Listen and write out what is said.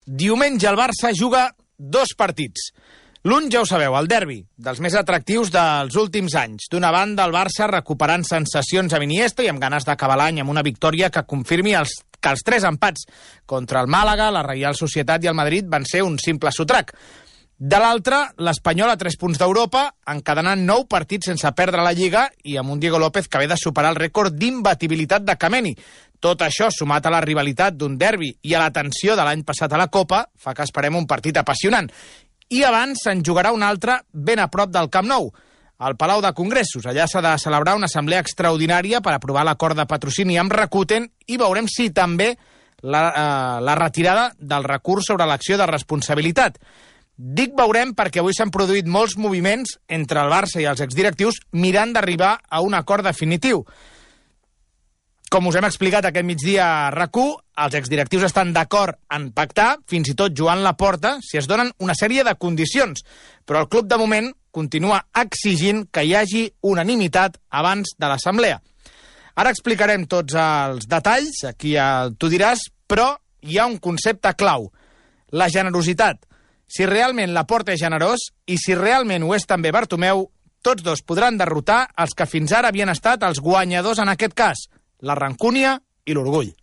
Diumenge el Barça juga 2 partits. L'un ja ho sabeu, el derbi, dels més atractius dels últims anys. D'una banda, el Barça recuperant sensacions amb Iniesta i amb ganes d'acabar l'any amb una victòria que confirmi que els 3 empats contra el Màlaga, la Reial Societat i el Madrid van ser un simple sotrac. De l'altra, l'Espanyol a 3 punts d'Europa, encadenant 9 partits sense perdre la Lliga i amb un Diego López que ve de superar el rècord d'imbatibilitat de Kameni. Tot això, sumat a la rivalitat d'un derbi i a la tensió de l'any passat a la Copa, fa que esperem un partit apassionant. I abans se'n jugarà un altre ben a prop del Camp Nou, al Palau de Congressos. Allà s'ha de celebrar una assemblea extraordinària per aprovar l'acord de patrocini amb Rakuten i veurem si també la retirada del recurs sobre l'acció de responsabilitat. Dic veurem perquè avui s'han produït molts moviments entre el Barça i els exdirectius mirant d'arribar a un acord definitiu. Com us hem explicat aquest migdia a RAC1, els exdirectius estan d'acord en pactar, fins i tot jugant la porta, si es donen una sèrie de condicions. Però el club, de moment, continua exigint que hi hagi unanimitat abans de l'assemblea. Ara explicarem tots els detalls, aquí tu diràs, però hi ha un concepte clau, la generositat. Si realment la porta és generós i si realment ho és també Bartomeu, tots dos podran derrotar els que fins ara havien estat els guanyadors en aquest cas, la rancúnia i l'orgull.